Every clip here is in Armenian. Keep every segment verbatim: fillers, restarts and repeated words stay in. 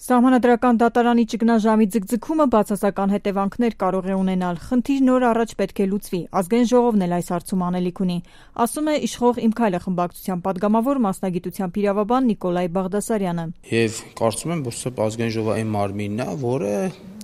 Սահմանադրական դատարանի ճգնաժամի ձգձգումը բացասական հետևանքներ կարող է ունենալ, խնդիրն օր առաջ պետք է լուծվի, ազգային ժողովն էլ այս հարցում անելիք ունի, ասում է իշխող «Իմ քայլը» խմբակցության պատգամավոր մասնագիտությամբ իրավաբան Նիկոլայ Բաղդասարյանը։ Եվ կարծում եմ, որ սա ազգային ժողովի այն մարմինն է, որը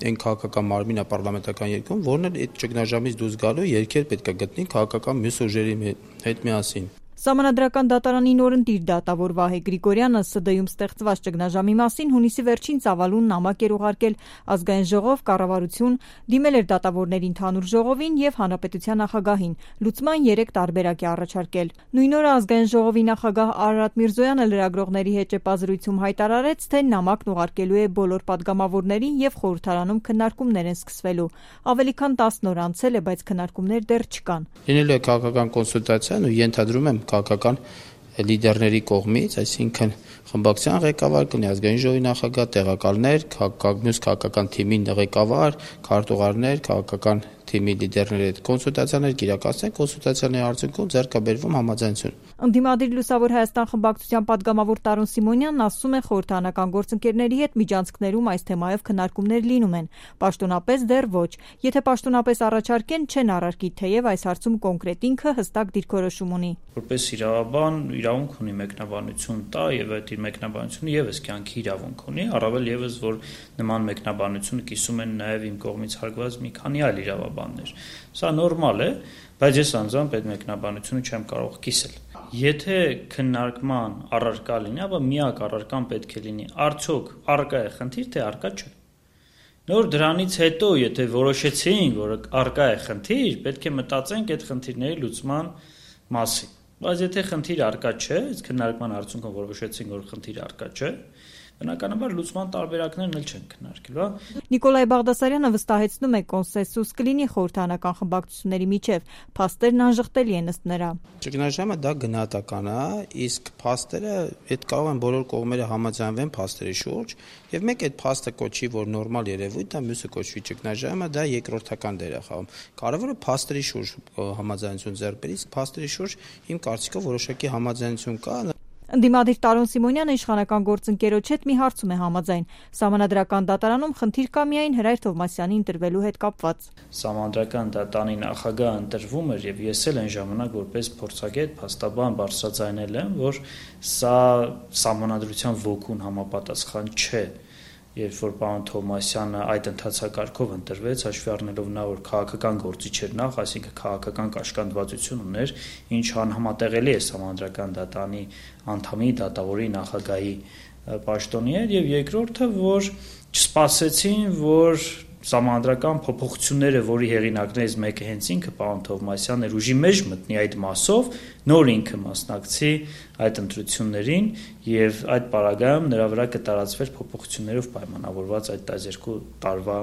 այն քաղաքական մարմինն է պարլամենտական երկրում, որն էլ այդ ճգնաժամից դուրս գալու երգեր պետք է գտնի քաղաքական մյուս ուժերի հետ միասին։ Սահմանադրական դատարանի նորընտիր դատավոր Վահե Գրիգորյանը Ս Դ-ում ստեղծված ճգնաժամի մասին հունիսի վերջին ծավալուն նամակ էր ուղարկել ազգային ժողով, կառավարություն, դիմել էր դատավորների ընդհանուր ժողովին եւ հանրապետության նախագահին, լուծման երեք տարբերակ է առաջարկել։ Նույն օրը ազգային ժողովի նախագահ Արարատ Միրզոյանը լրագրողների հետ ճեպազրույցում հայտարարեց, թե նամակն ուղարկելու է բոլոր պատգամավորներին եւ խորհրդարանում քննարկումներ են սկսվելու։ Ավելի քան տասն օր անցել է, բայց քննարկումներ դեռ չկան։ Լինելու է քաղաքական կոնսուլտացիան ու ենթադրում եմ քաղաքական լիդերների կողմից, այսինքն խմբակցության ղեկավար կլինի, ազգային ժողովի նախագահ, տեղակալներ, մյուս քաղաքական թիմի ղեկավար, քարտուղարներ, քաղաքական թիմի լիդերների հետ կոնսուլտացիաներ կիրակացնեն, կոնսուլտացիաների արդյունքում ձեռք է բերվում համաձայնություն։ Ընդդիմադիր Լուսավոր Հայաստան խմբակցության պատգամավոր Տարոն Սիմոնյանն ասում է, խորհրդարանական գործընկերների հետ միջանցքներում այս թեմայով քննարկումներ լինում են, պաշտոնապես դեռ ոչ։ Եթե պաշտոնապես առաջարկեն, չեն առարկի, թեև այս հարցում կոնկրետ ինքը հստակ դիրքորոշում ունի։ Որպես իրավաբան իրավունք ունի մեկնաբանություն տա եւ այդ իր մեկնաբանությունը եւս կյանքի իրավունք ունի, առավել եւս որ նման մեկնաբանություն կիսում են նաեւ իմ կողմից հարգված մի քանի այլ իրավաբաններ։ Սա նորմալ է, բայց ես անձամբ այդ մեկնաբանությունը չեմ կարող կիսել։ Եթե քննարկման առարկա լինի, ապա միակ առարկան պետք է լինի արդյոք առկա է խնդիր, թե առկա չէ։ Նոր դրանից հետո, եթե որոշեցինք, որ առկա է խնդիր, պետք է մտածենք այդ խնդիրների լուծման մասին։ Բայց եթե խնդիր առկա չէ, այս քննարկման արդյունքում որոշեցինք, որ խնդիր առկա չէ, բնականաբար լուծման տարբերակներն էլ չեն քննարկելու, հա։ Նիկոլայ Բաղդասարյանը վստահեցնում է, կոնսենսուս կլինի խորհրդարանական խմբակցությունների միջև, փաստերն անժխտելի են ըստ նրա։ Ճգնաժամը դա գնահատական է, իսկ փաստերը այդ կարող են բոլոր կողմերը համաձայնվեն փաստերի շուրջ, եւ մեկ այդ փաստը կոչի, որ նորմալ երևույթ է, մյուսը կոչվի ճգնաժամը, դա երկրորդական դեր է խաղում։ Կարևորը փաստերի շուրջ համաձայնություն ձեռք բերել, իսկ փաստերի շուրջ իմ կարծիքով որոշակի համաձայնություն կա։ Ընդդիմադիր Տարոն Սիմոնյանը իշխանական գործընկերոջ հետ մի հարցում է համաձայն։ Սահմանադրական դատարանում խնդիր կա միայն Հրայր Թովմասյանի ընտրվելու հետ կապված։ Սահմանադրական դատարանի նախագահ ընտրվում էր եւ ես էլ այն ժամանակ որպես փորձագետ փաստաբան բարձրաձայնել եմ, որ սա սահմանադրության ոգուն համապատասխան չէ։ Երբ որ պարոն Թովմասյանը այդ ընթացակարգով ընտրվեց, հաշվի առնելով նա որ քաղաքական գործիչ էր նախ, այսինքն քաղաքական կաշկանդվածություն ուներ, ինչ անհամատեղելի է սահմանադրական դատարանի անդամի, դատավորի, նախագահի պաշտոնի հետ, եւ երկրորդը, որ չսպասեցին, որ սահմանադրական փոփոխությունները, որի հեղինակներից մեկը հենց ինքը պարոն Թովմասյանն էր, ուժի մեջ մտնի այդ մասով, նոր ինքը մասնակցի այդ ընտրություններին եւ այդ պարագայում նրա վրա կտարածվեր փոփոխություններով պայմանավորված այդ տասներկու տարվա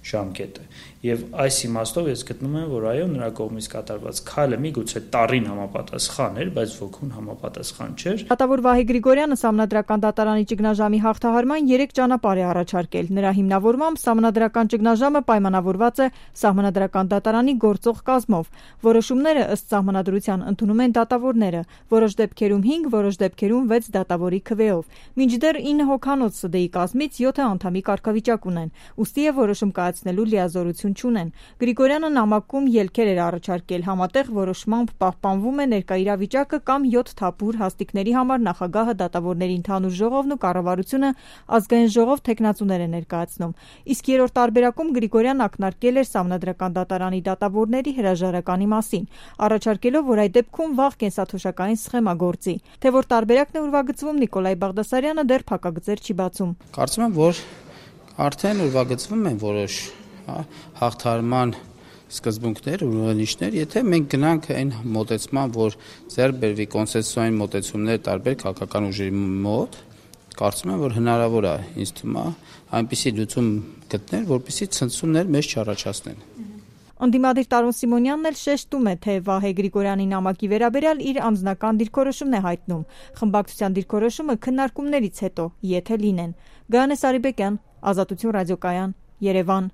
ժամկետը։ Եվ այս իմաստով ես գտնում եմ, որ այո, նրա կողմից կատարված քայլը միգուցե տարին համապատասխան էր, բայց ոգուն համապատասխան չէր։ Դատավոր Վահե Գրիգորյանը Սահմանադրական դատարանի ճգնաժամի հաղթահարման երեք ճանապարհ է առաջարկել։ Նրա հիմնավորմամբ Սահմանադրական ճգնաժամը պայմանավորված է Սահմանադրական դատարանի գործող կազմով։ Որոշումները ըստ Սահմանադրության ընդունում են դատավորները, որոշ դեպքերում հինգ, որոշ դեպքերում վեց դատավորի քվեով։ Մինչդեռ ինը հոգանոց Ս Դ-ի կազմից յոթ անդամի կարգավիճակ ունեն, ուստի է որոշում կայացնելու լիազորություն չունեն։ Գրիգորյանը նամակում ելքեր էր առաջարկել, համատեղ որոշմամբ պահպանվում է ներկա իրավիճակը կամ յոթ թափուր հաստիկների համար նախագահը, դատավորների ընդհանուր ժողովն ու կառավարությունը ազգային ժողով թեկնածուներ է ներկայացնում։ Իսկ երրորդ տարբերակում Գրիգորյանն ակնարկել էր Սահմանադրական դատարանի դատավորների հրաժարականի մասին, առաջարկելով, որ այդ դեպքում վաղ կենսաթոշակային սխեմա գործի։ Թե որ տարբերակն է ուրվագծվում, Նիկոլայ Բաղդասարյանը դեռ փակագծեր չի բացում։ Կարծում եմ, որ արդեն ուրվագծվում են որոշ հաղթահարման սկզբունքներ ու ուրիշներ, եթե մենք գնանք այն մոտեցման, որ ձեռք բերվի կոնսենսուսային մոտեցումներ տարբեր քաղաքական ուժերի մոտ, կարծում եմ, որ հնարավոր է, ինձ թվում է, այնպիսի լուծում գտնել, որպեսզի ցնցումներ մեզ չառաջացնեն։ Ընդդիմադիր Տարոն Սիմոնյանն էլ շեշտում է, թե Վահե Գրիգորյանի նամակի վերաբերյալ իր անձնական դիրքորոշումն է հայտնում։ Խմբակցության դիրքորոշումը քննարկումներից հետո, եթե լինեն։ Գայանե Սարիբեկյան, Ազատություն ռադիոկայան, Երևան։